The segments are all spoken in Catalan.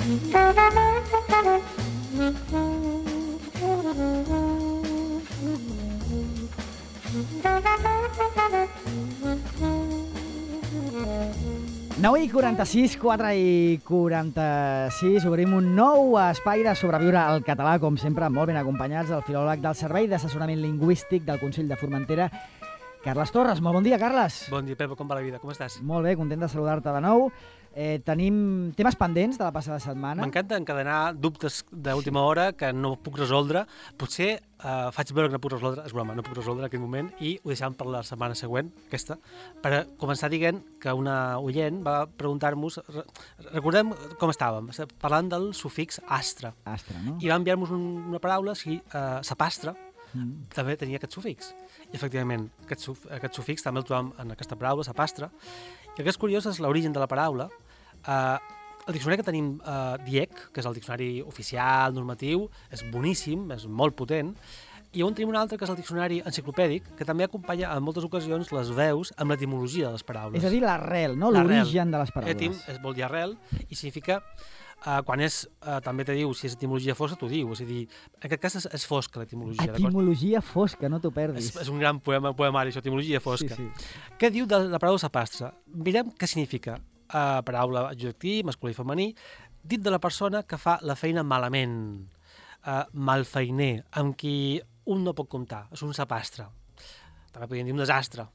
i 46, 4 i 46, obrim un nou espai de sobreviure al català, com sempre, molt ben acompanyats del filòleg del Servei d'Assessorament Lingüístic del Consell de Formentera, Carles Torres. Molt bon dia, Carles. Bon dia, Pep, com va la vida? Com estàs? Molt bé, content de saludar-te de nou. Tenim temes pendents de la passada setmana. M'encanta encadenar dubtes d'última hora que no puc resoldre. Potser faig veure que no puc resoldre, és broma, no puc resoldre en aquest moment, i ho deixàvem per la setmana següent, aquesta, per començar dient que una oient va preguntar-nos, recordem com estàvem, parlant del sufix astre. Astre, no? I va enviar-nos una paraula, sapastre, també tenia aquest sufix. I, efectivament, aquest sufix també el trobam en aquesta paraula, sapastre. I el que és curiós és l'origen de la paraula. El diccionari que tenim, DIEC, que és el diccionari oficial, normatiu, és boníssim, és molt potent, i on tenim un altre, que és el diccionari enciclopèdic, que també acompanya en moltes ocasions les veus amb l'etimologia de les paraules. És a dir, l'arrel, no? L'origen de les paraules. Etim vol dir arrel, i significa... quan és, també te diu, si és etimologia fosca, t'ho diu. És a dir, en aquest cas és fosca l'etimologia. Etimologia fosca, no t'ho perdis. És un gran poemari, això, etimologia fosca. Sí. Què diu de la paraula sapastre? Mirem què significa. Paraula adjectiu, masculí i femení, dit de la persona que fa la feina malament, malfeiner, amb qui un no pot comptar. És un sapastre. També podríem dir un desastre.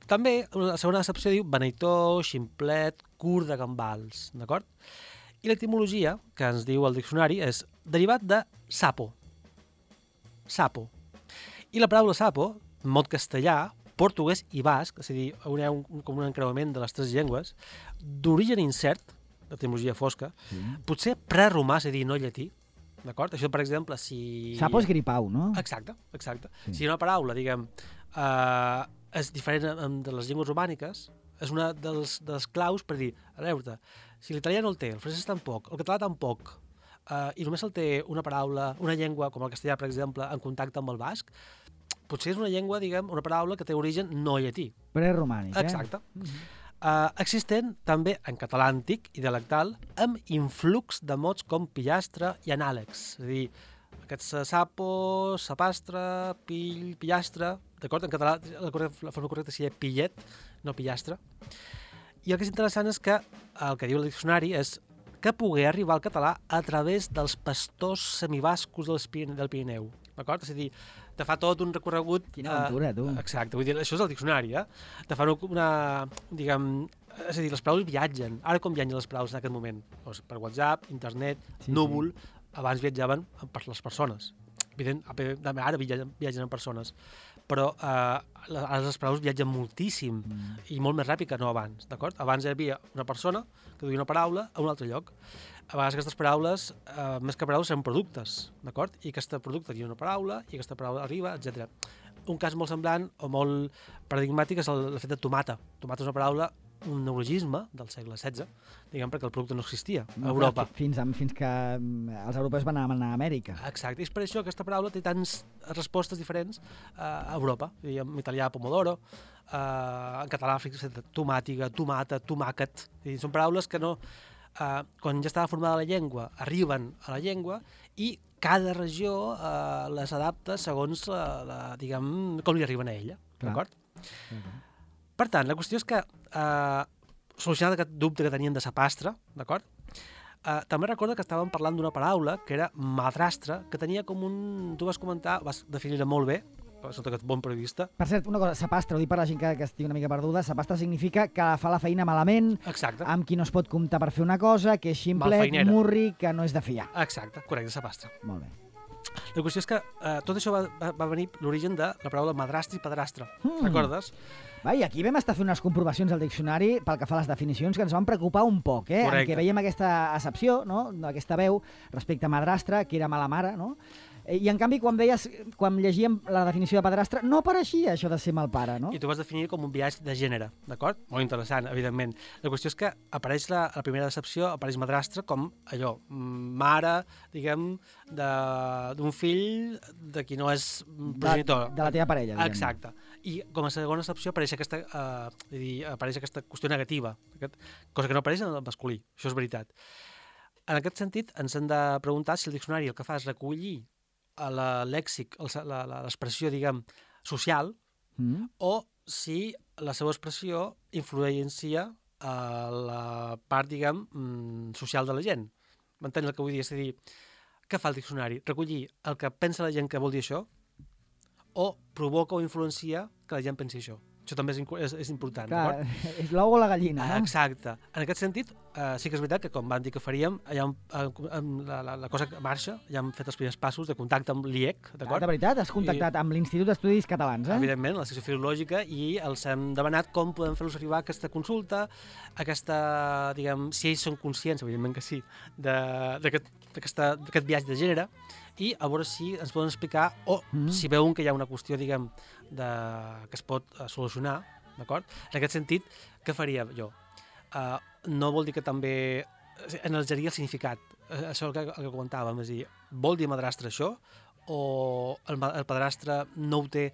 També, la segona accepció diu beneitó, ximplet, curt de gambals, d'acord? I l'etimologia, que ens diu el diccionari, és derivat de sapo. Sapo. I la paraula sapo, mot castellà, portuguès i basc, és a dir, com un encreuament de les tres llengües, d'origen incert, l'etimologia fosca, potser preromà, és a dir, no llatí, d'acord? Això, per exemple, si... Sapo és gripau, no? Exacte. Sí. Si una paraula, diguem, és diferent de les llengües romàniques, és una dels claus per dir, a veure, si l'italià no el té, el francès tampoc, el català tampoc, i només el té una paraula, una llengua, com el castellà, per exemple, en contacte amb el basc, potser és una llengua, diguem, una paraula que té origen no llatí. Preromànic, Exacte. Existent també en català antic i dialectal amb influx de mots com pillastre i anàlegs. És a dir, aquests sapo, sapastre, pill, pillastre, d'acord? En català la forma correcta seria pillet, no pillastre. I el que és interessant és que el que diu el diccionari és que pogué arribar al català a través dels pastors semibascos del Pirineu. D'acord? És a dir, te fa tot un recorregut... Quina aventura, tu. Exacte, vull dir, això és el diccionari, Te fa una, diguem... És a dir, les paraules viatgen. Ara com viatgen les paraules en aquest moment? Doncs per WhatsApp, internet, núvol... Abans viatjaven per les persones. Ara viatgen en persones. Però ara les paraules viatgen moltíssim i molt més ràpid que no abans, d'acord? Abans hi havia una persona que duia una paraula a un altre lloc. A vegades aquestes paraules, més que paraules, eren productes, d'acord? I aquest producte tenia una paraula i aquesta paraula arriba, etc. Un cas molt semblant o molt paradigmàtic és el fet de tomata. Tomata és una paraula, un neologisme del segle XVI, diguem, perquè el producte no existia a Europa. Fins que els europeus van anar a Amèrica. Exacte, i és per això que aquesta paraula té tants respostes diferents a Europa. En italià, pomodoro, en català, tomàtiga, tomata, tomàquet. Són paraules que no... Quan ja estava formada la llengua, arriben a la llengua i cada regió les adapta segons, diguem, com li arriben a ella, d'acord? Per tant, la qüestió és que, solucionat aquest dubte que tenien de sapastre, d'acord? També recorda que estàvem parlant d'una paraula que era madrastre, que tenia com un... Tu vas comentar, vas definir-la molt bé, sota aquest bon periodista. Per cert, una cosa, sapastre, ho dic per la gent que estigui una mica perduda, sapastre significa que fa la feina malament, amb qui no es pot comptar per fer una cosa, que és ximplet, murri, que no és de fiar. Exacte, correcte, sapastre. Molt bé. La qüestió és que tot això va venir l'origen de la paraula madrastre i padrastre. Recordes? I aquí vam estar fent unes comprovacions al diccionari pel que fa a les definicions que ens van preocupar un poc, en què veiem aquesta accepció, no?, d'aquesta veu respecte a madrastre, que era mala mare, no? I en canvi, quan llegíem la definició de padrastre, no apareixia això de ser mal pare, no? I tu vas definir com un biaix de gènere, d'acord? Molt interessant, evidentment. La qüestió és que apareix la primera decepció, apareix madrastre com allò, mare, diguem, d'un fill de qui no és progenitor. De la teva parella, diguem. Exacte. I com a segona excepció apareix aquesta qüestió negativa, cosa que no apareix en el masculí, això és veritat. en aquest sentit, ens hem de preguntar si el diccionari el que fa és recollir lèxic, l'expressió, diguem, social, o si la seva expressió influencia a la part, diguem, social de la gent. M'entens el que vull dir? És a dir, què fa el diccionari? Recollir el que pensa la gent que vol dir això o provoca o influencia que la gent pensi això? Això també és important. Clar, és l'ou o la gallina, no? Exacte. En aquest sentit, sí que és veritat que, com van dir que faríem, la cosa que marxa, ja hem fet els primers passos de contacte amb l'IEC, d'acord? De veritat, has contactat amb l'Institut d'Estudis Catalans, Evidentment, la secció filològica, i els hem demanat com podem fer-los arribar aquesta consulta, diguem, si ells són conscients, evidentment que sí, d'aquest viatge de gènere, i a veure si ens poden explicar o si veuen que hi ha una qüestió, diguem, que es pot solucionar, d'acord? En aquest sentit, què faria jo? No vol dir que també analitzaria el significat, això el que comentàvem, és a dir, vol dir madrastre això, o el padrastre no ho té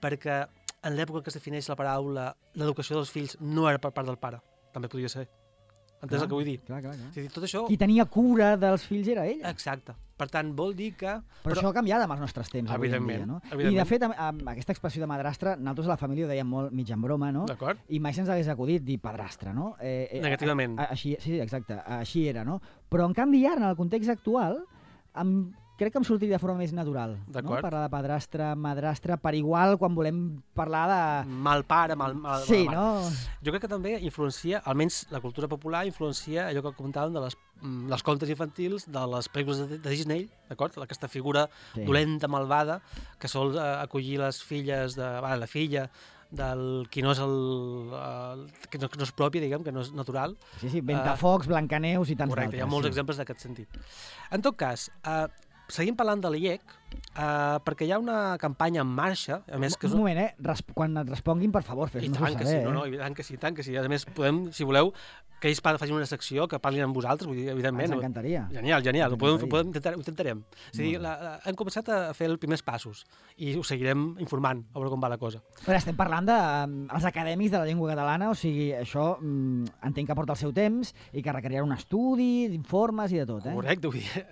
perquè en l'època en què es defineix la paraula l'educació dels fills no era per part del pare, també podria ser. Entens el que vull dir? Clar. És a dir, tot això... Qui tenia cura dels fills era ell. Exacte. Per tant, vol dir que... Però això ha canviat amb els nostres temps, avui en dia, no? I, de fet, amb aquesta expressió de madrastre, nosaltres a la família ho dèiem molt mig en broma, no? D'acord. I mai se'ns hagués acudit dir padrastre, no? Negativament. Sí, exacte. Així era, no? Però, en canvi, ara, en el context actual, crec que em sortiria de forma més natural, no? Parlar de padrastre, madrastre, per igual quan volem parlar de... Mal pare, mal sí, mare. No? Jo crec que també influencia, almenys la cultura popular, influencia allò que comentàvem de les contes infantils, de les pel·lícules de Disney, d'acord? Aquesta figura dolenta, malvada, que sol acollir les filles la filla del qui no és que no és pròpia, diguem, que no és natural. Sí, Ventafocs, Blancaneus i tants d'altres. Correcte, hi ha molts exemples d'aquest sentit. En tot cas, seguim parlant de l'IEC, perquè hi ha una campanya en marxa, a més que... Un moment, quan et responguin, per favor, fes-nos-ho saber. I tant que sí. A més, podem, si voleu, que ells facin una secció, que parlin amb vosaltres, vull dir, evidentment. Ens encantaria. Genial, ho intentarem. És a dir, hem començat a fer els primers passos i ho seguirem informant, a veure com va la cosa. Però estem parlant dels acadèmics de la llengua catalana, o sigui, això entenc que porta el seu temps i que requerirà un estudi, d'informes i de tot, Correcte, vull dir...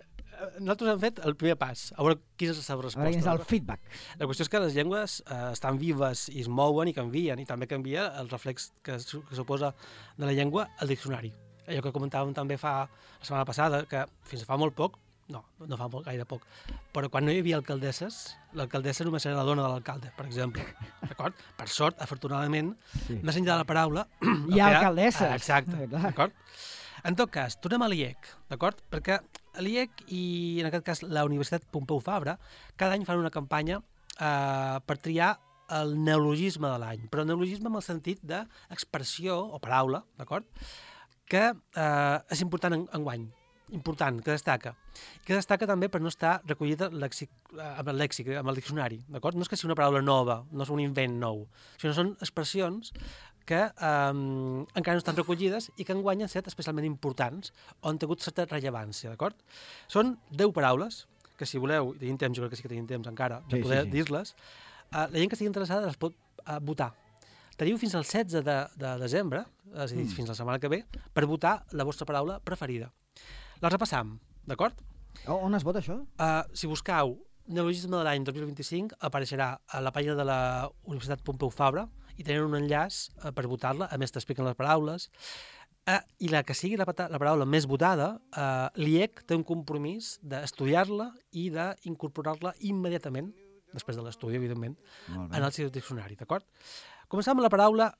Nosaltres hem fet el primer pas, a veure quina és la seva resposta. A veure quin és el feedback. La qüestió és que les llengües estan vives i es mouen i canvien, i també canvia el reflex que suposa de la llengua al diccionari. Allò que comentàvem també la setmana passada, que fins fa molt poc, no fa gaire poc, però quan no hi havia alcaldesses, l'alcaldessa només era la dona de l'alcalde, per exemple. D'acord? Per sort, afortunadament, més enllà de la paraula... Hi ha alcaldesses. Exacte, d'acord? En tot cas, tornem a l'IEC, d'acord? Perquè l'IEC i, en aquest cas, la Universitat Pompeu Fabra, cada any fan una campanya per triar el neologisme de l'any, però neologisme en el sentit d'expressió o paraula, d'acord? Que és important enguany, important, que destaca. Que destaca també per no estar recollida amb el lèxic, amb el diccionari, d'acord? No és que sigui una paraula nova, no és un invent nou, sinó són expressions que encara no estan recollides i que enguany han estat especialment importants o han tingut certa rellevància, d'acord? Són 10 paraules, que si voleu, i tenim temps, jo crec que sí que tenim temps encara, de poder dir-les, la gent que estigui interessada les pot votar. Teniu fins al 16 de desembre, és a dir, fins la setmana que ve, per votar la vostra paraula preferida. La repassam, d'acord? On es vota això? Si buscau neologisme de l'any 2025, apareixerà a la pàgina de la Universitat Pompeu Fabra i tenen un enllaç per votar-la, a més t'expliquen les paraules, i la que sigui la paraula més votada, l'IEC té un compromís d'estudiar-la i d'incorporar-la immediatament, després de l'estudi, evidentment, en el seu diccionari, d'acord? Començam amb la paraula,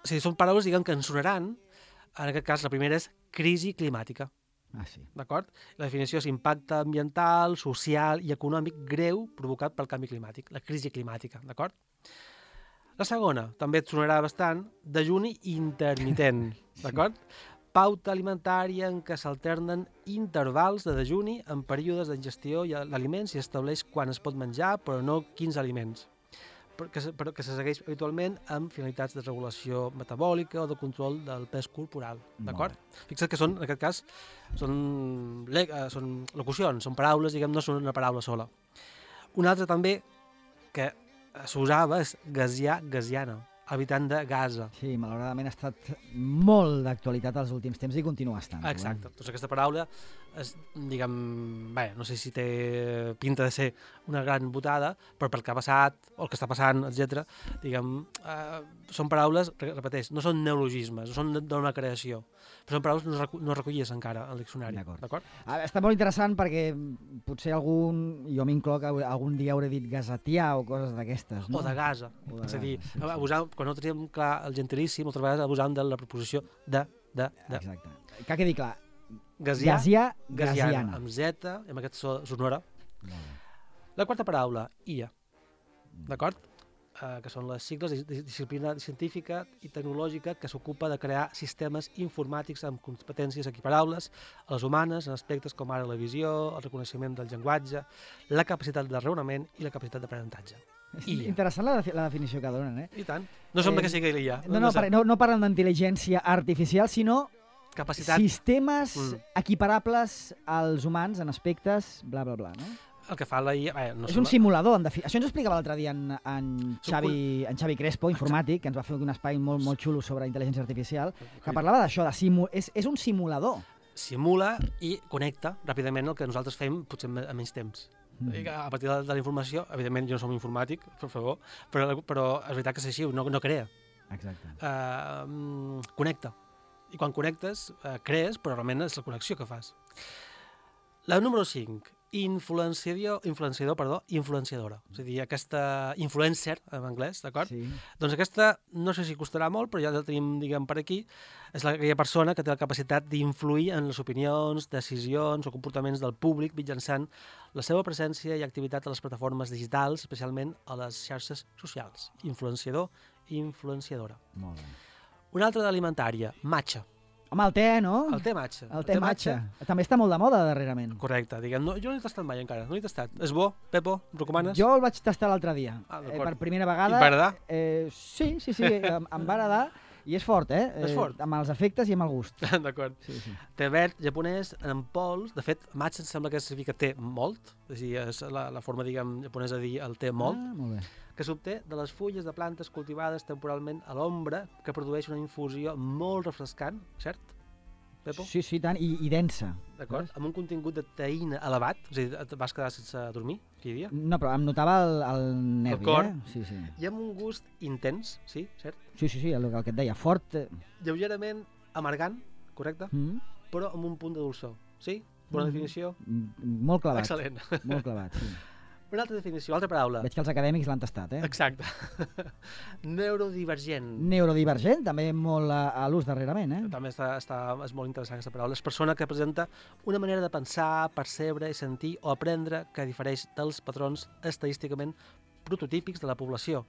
són paraules, diguem, que ens sonaran, en aquest cas la primera és crisi climàtica. Sí. D'acord? La definició és impacte ambiental, social i econòmic greu provocat pel canvi climàtic, la crisi climàtica, d'acord? La segona, també et sonarà bastant, dejuni intermitent, d'acord? Pauta alimentària en què s'alternen intervals de dejuni en períodes d'ingestió d'aliments i estableix quan es pot menjar, però no quins aliments, que se segueix habitualment amb finalitats de regulació metabòlica o de control del pes corporal, d'acord? Fixa't que són, en aquest cas, són locucions, són paraules, diguem, no són una paraula sola. Una altra també que s'usava és gazià, gaziana, habitant de Gaza. Sí, malauradament ha estat molt d'actualitat els últims temps i continua estant. Exacte. Doncs aquesta paraula és, diguem, bé, no sé si té pinta de ser una gran botada, però pel que ha passat, o el que està passant, etc., diguem, són paraules, repeteix, no són neologismes, no són d'una creació, però són paraules no recollides encara al diccionari. D'acord. Està molt interessant perquè potser jo m'incloc, algun dia hauré dit gasatià o coses d'aquestes, no? O de Gaza. És a dir, quan no teníem clar el gentilíssim, moltes vegades abusàvem de la preposició de. Exacte. Que quedi clar. Gasiana, amb Z, amb aquest so sonora. La quarta paraula, IA, d'acord? Que són les sigles de disciplina científica i tecnològica que s'ocupa de crear sistemes informàtics amb competències equiparables a les humanes en aspectes com ara la visió, el reconeixement del llenguatge, la capacitat de raonament i la capacitat d'aprenentatge. Interessant la definició que donen, I tant. No sembla que sigui l'IA. No parlen d'intel·ligència artificial, sinó capacitat... sistemes equiparables als humans en aspectes bla, bla, bla, no? El que fa la IA... És un simulador, en definitiva. Això ens ho explicava l'altre dia en Xavi Crespo, informàtic, que ens va fer un espai molt xulo sobre intel·ligència artificial, que parlava d'això, és un simulador. Simula i connecta ràpidament el que nosaltres fem, potser a menys temps. A partir de la informació, evidentment jo no som informàtic, per favor, però és veritat que és així, no crea. Exacte. Connecta. I quan connectes, crees, però realment és la connexió que fas. La número 5. Influenciadora. És a dir, aquesta influencer, en anglès, d'acord? Sí. Doncs aquesta, no sé si costarà molt, però ja la tenim, diguem, per aquí. És aquella persona que té la capacitat d'influir en les opinions, decisions o comportaments del públic mitjançant la seva presència i activitat a les plataformes digitals, especialment a les xarxes socials. Influenciador i influenciadora. Molt bé. Una altra d'alimentària, matcha. Home, el te, no? El te matcha. El te matcha. També està molt de moda darrerament. Correcte. Diguem, jo no l'he tastat mai encara, no l'he tastat. És bo, Pepo? Em recomanes? Jo el vaig tastar l'altre dia. Per primera vegada. I va agradar? Sí, em va agradar. I és fort, És fort. Amb els efectes i amb el gust. D'acord. Sí. Té verd japonès en pols. De fet, matcha em sembla que significa té molt. És a dir, és la forma, diguem, japonesa de dir el té molt. Molt bé. Que s'obté de les fulles de plantes cultivades temporalment a l'ombra, que produeix una infusió molt refrescant, cert, Pepo? Sí, tant, i densa. D'acord, amb un contingut de teïna elevat, és a dir, et vas quedar sense dormir aquell dia? No, però em notava el nervi, cor. Sí. I amb un gust intens, sí, cert? Sí, el que et deia, fort. Lleugerament amargant, correcte? Però amb un punt de dolçor, sí? Bona definició? Molt clavat. Excel·lent. Molt clavat, sí. Una altra definició, altra paraula. Veig que els acadèmics l'han tastat, Exacte. Neurodivergent. Neurodivergent, també molt a l'ús darrerament, També és molt interessant aquesta paraula. És persona que presenta una manera de pensar, percebre i sentir o aprendre que difereix dels patrons estadísticament prototípics de la població.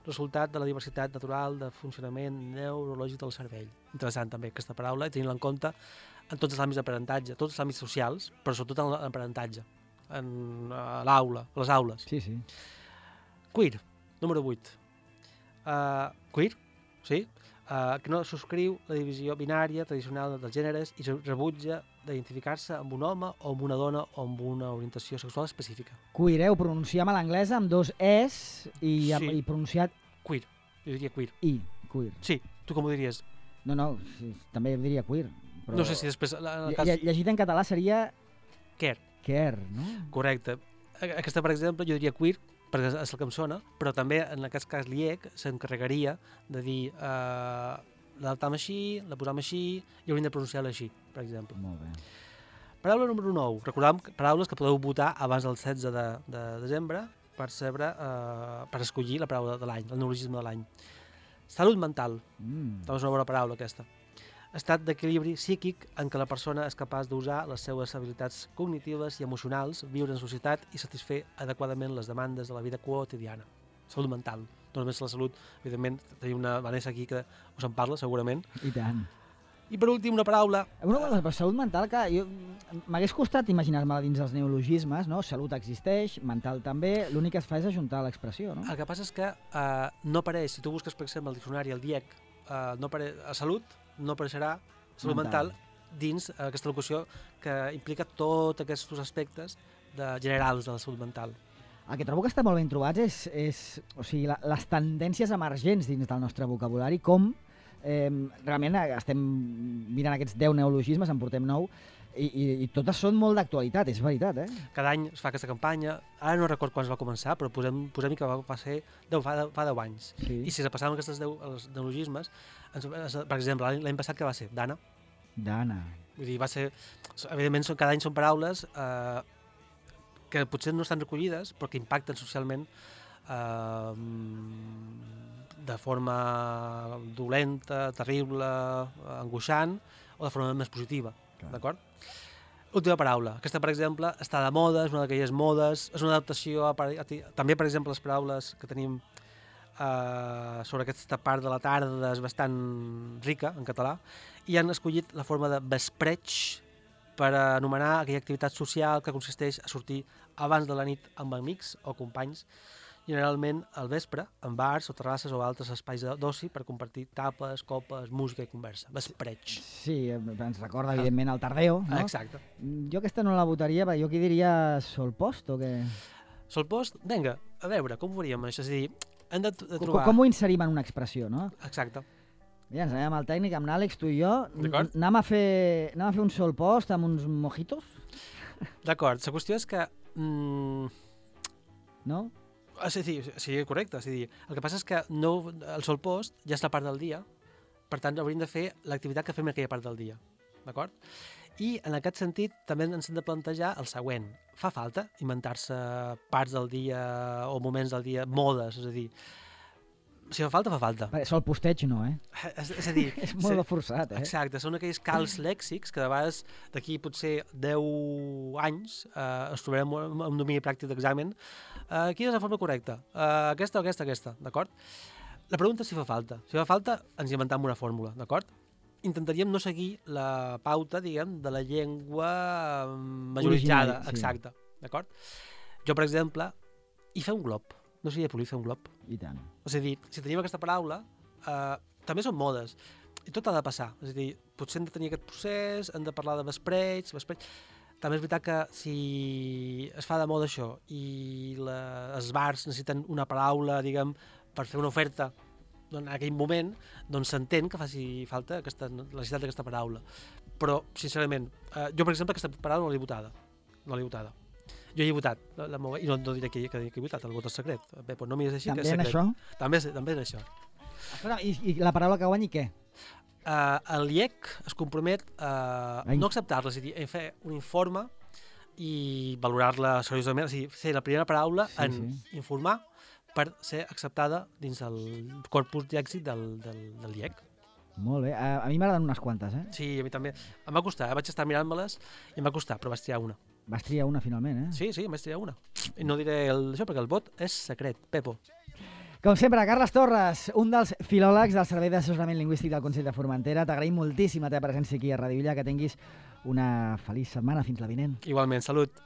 Resultat de la diversitat natural de funcionament neurològic del cervell. Interessant també aquesta paraula, i tenint-la en compte en tots els àmbits d'aprenentatge, tots els àmbits socials, però sobretot en l'aprenentatge. A l'aula, a les aules. Sí. Queer, número 8. Queer, sí, que no subscriu la divisió binària tradicional dels gèneres i rebutja d'identificar-se amb un home o amb una dona o amb una orientació sexual específica. Queer, ho pronunciem a l'anglès amb 2 es i pronunciat... Queer, jo diria queer. Queer. Sí, tu com ho diries? No, també diria queer. Però... No sé si després... Llegit en català seria... Care, no? Correcte. Aquesta, per exemple, jo diria queer, perquè és el que em sona, però també, en aquest cas, l'IEC s'encarregaria de dir l'adaptam així, la posam així, i hauríem de pronunciar-la així, per exemple. Molt bé. Paraula número 9. Recordem paraules que podeu votar abans del 16 de desembre per escollir la paraula de l'any, el neologisme de l'any. Salut mental. També és una bona paraula, aquesta. Estat d'equilibri psíquic en què la persona és capaç d'usar les seues habilitats cognitives i emocionals, viure en societat i satisfer adequadament les demandes de la vida quotidiana. Salut mental. No només la salut, evidentment, tenim una Vanessa aquí que us en parla, segurament. I tant. I per últim, una paraula... Per salut mental, que m'hagués costat imaginar-me dins els neologismes, no? Salut existeix, mental també, l'únic que es fa és ajuntar l'expressió, no? El que passa és que no apareix, si tu busques, per exemple, el diccionari, el DIEC, no apareix a salut, no apareixerà salut mental dins aquesta locució que implica tots aquests aspectes generals de la salut mental. El que trobo que està molt ben trobats és o sigui, les tendències emergents dins del nostre vocabulari, com realment estem mirant aquests 10 neologismes, en portem 9, i totes són molt d'actualitat, és veritat, Cada any es fa aquesta campanya, ara no record quan es va començar, però posem que va ser fa 10 anys. Sí. I si es passaven aquests 10 neologismes, per exemple, l'any passat que va ser? Dana. Vull dir, va ser... Evidentment, cada any són paraules que potser no estan recollides, però que impacten socialment de forma dolenta, terrible, angoixant, o de forma més positiva. D'acord? Última paraula. Aquesta, per exemple, està de moda, és una d'aquelles modes, és una adaptació també, per exemple, les paraules que tenim sobre aquesta part de la tarda és bastant rica en català, i han escollit la forma de vespreig per anomenar aquella activitat social que consisteix a sortir abans de la nit amb amics o companys, generalment al vespre, en bars o terrasses o altres espais d'oci per compartir tapes, copes, música i conversa. Vespreig. Sí, ens recorda, evidentment, el tardeo, no? Exacte. Jo aquesta no la votaria, jo aquí diria solpost, o què? Solpost? Vinga, a veure, com ho faríem això? És a dir, hem de trobar... Com ho inserim en una expressió, no? Exacte. Ja ens anem amb el tècnic, amb l'Àlex, tu i jo. Anem a fer un solpost amb uns mojitos? D'acord, la qüestió és que... No? Sí, correcte. És a dir, el que passa és que el solpost ja és la part del dia, per tant hauríem de fer l'activitat que fem en aquella part del dia. D'acord? I en aquest sentit també ens hem de plantejar el següent. Fa falta inventar-se parts del dia o moments del dia, modes, és a dir, si fa falta, fa falta. Solposteig no, És a dir... és molt forçat, Exacte, són aquells calç lèxics que de vegades d'aquí potser 10 anys es trobarem en domini pràctic d'examen. Quina és la forma correcta? Aquesta o aquesta, d'acord? La pregunta és si fa falta. Si fa falta, ens inventem una fórmula, d'acord? Intentaríem no seguir la pauta, diguem, de la llengua majoritzada. Sí. Exacte, d'acord? Jo, per exemple, fer un glob. No seria polir fer un glob. I tant. És a dir, si tenim aquesta paraula, també són modes. I tot ha de passar. És a dir, potser hem de tenir aquest procés, hem de parlar de vespreig. També és veritat que si es fa de moda això i els bars necessiten una paraula, diguem, per fer una oferta en aquell moment, doncs s'entén que faci falta la necessitat d'aquesta paraula. Però, sincerament, jo, per exemple, aquesta paraula no l'he votada. Jo hi he votat, i no diré que he votat, el vot és secret. Bé, doncs no m'hi és així, també que és secret. Això? També en això. Escolta, i la paraula que guanyi què? El IEC es compromet a no acceptar-la, és a dir, a fer un informe i valorar-la seriosament, és a dir, ser la primera paraula en informar per ser acceptada dins el corpus d'èxit del IEC. Molt bé, a mi m'agraden unes quantes, Sí, a mi també. Em va costar, vaig estar mirant-me-les i em va costar, però vaig triar una. Vas triar una finalment, Sí, em vaig triar una. I no diré això perquè el vot és secret, Pepo. Com sempre, Carles Torres, un dels filòlegs del Servei d'Assessorament Lingüístic del Consell de Formentera. T'agraïm moltíssim la teva presència aquí a Radio Illa, que tinguis una feliç setmana. Fins la vinent. Igualment, salut.